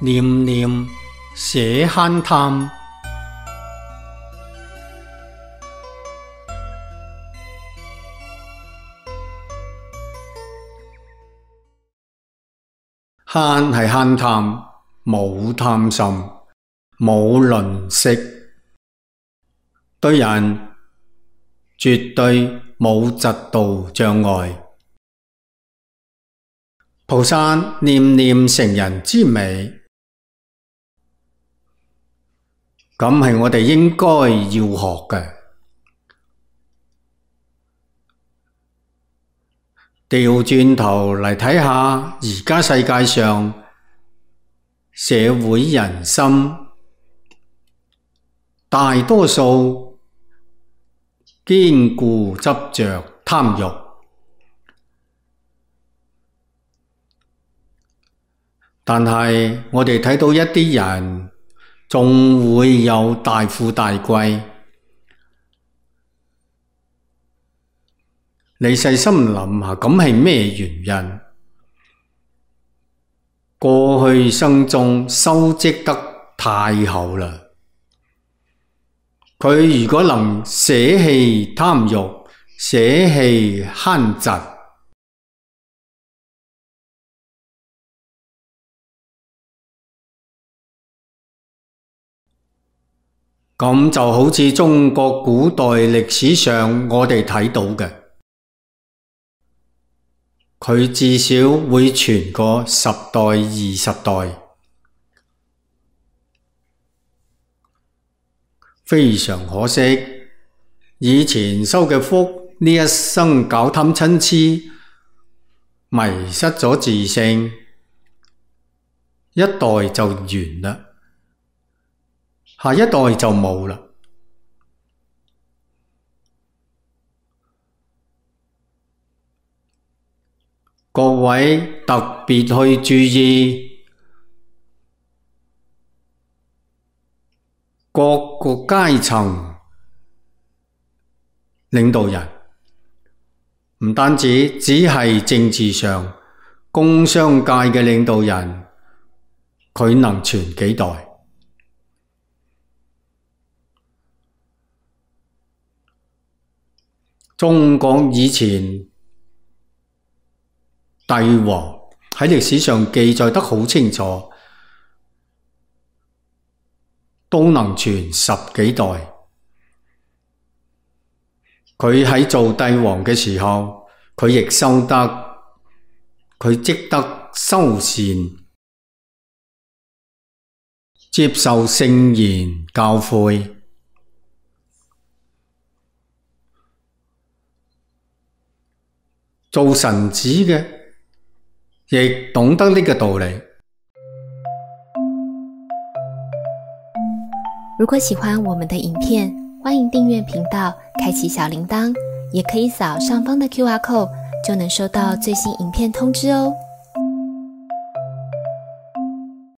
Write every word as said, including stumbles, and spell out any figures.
念念捨慳貪。慳係慳貪，冇貪心，冇吝嗇，對人絕對冇嫉妒障礙。菩薩念念成人之美，咁係我哋應該要學嘅。調轉頭嚟睇下，而家世界上社會人心，大多數堅固執着貪欲，但係我哋睇到一啲人仲會有大富大貴。你細心諗下，咁係咩原因？過去生中修積得太厚啦。佢如果能捨棄貪欲，捨棄慳嫉，咁就好似中國古代歷史上我哋睇到嘅。佢至少會傳個十代二十代，非常可惜，以前修嘅福呢一生搞貪嗔癡，迷失咗自性，一代就完啦，下一代就冇啦。各位特別去注意各個階層領導人，唔單止只係政治上，工商界嘅領導人，佢能傳幾代？中國以前帝王喺歷史上記載得好清楚，都能傳十幾代。佢喺做帝王嘅時候，佢亦修得，佢積德修善，接受聖言教誨，做臣子嘅亦懂得呢個道理。如果喜歡我們的影片，歡迎訂閱頻道，開啟小鈴鐺，也可以掃上方的 Q R code，就能收到最新影片通知哦。